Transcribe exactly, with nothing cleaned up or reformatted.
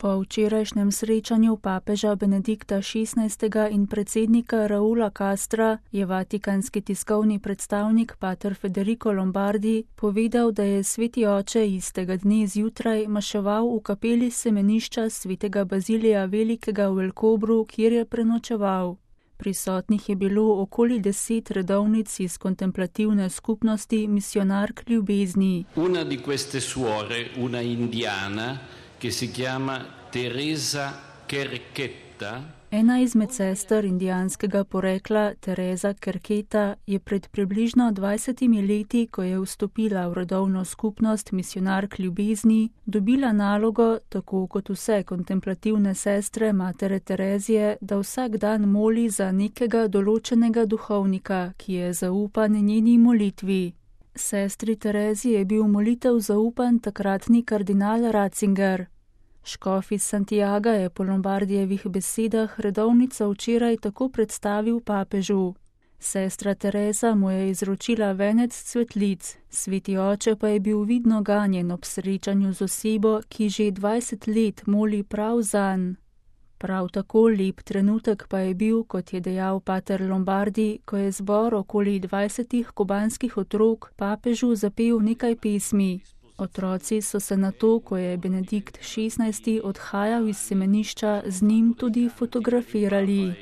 Po včerajšnjem srečanju papeža Benedikta šestnajstega in predsednika Raula Castra je vatikanski tiskovni predstavnik pater Federico Lombardi povedal, da je sveti oče istega dne zjutraj maševal v kapeli semenišča svetega Bazilija Velikega v El Cobru, kjer je prenočeval. Prisotnih je bilo okoli deset redovnic iz kontemplativne skupnosti misionark ljubezni. Una di queste suore, una indiana, che si chiama Teresa Kerketa. Ena izmed sester indijanskega porekla, Teresa Kerketa, je pred približno dvajsetimi leti, ko je vstopila v rodovno skupnost misionark ljubezni, dobila nalogo, tako kot vse kontemplativne sestre matere Terezije, da vsak dan moli za nekega določenega duhovnika, ki je zaupan njeni molitvi. Sestri Tereziji je bil molitev zaupan takratni kardinal Ratzinger. Škof iz Santiaga je po Lombardijevih besedah redovnico včeraj tako predstavil papežu. Sestra Teresa mu je izročila venec cvetlic, sveti oče pa je bil vidno ganjen ob srečanju z osebo, ki že dvajset let moli prav zanj. Prav tako lep trenutek pa je bil, kot je dejal pater Lombardi, ko je zbor okoli dvajsetih kubanskih otrok papežu zapel nekaj pesmi. Otroci so se na to, ko je Benedikt šestnajsti odhajal iz semenišča, z njim tudi fotografirali.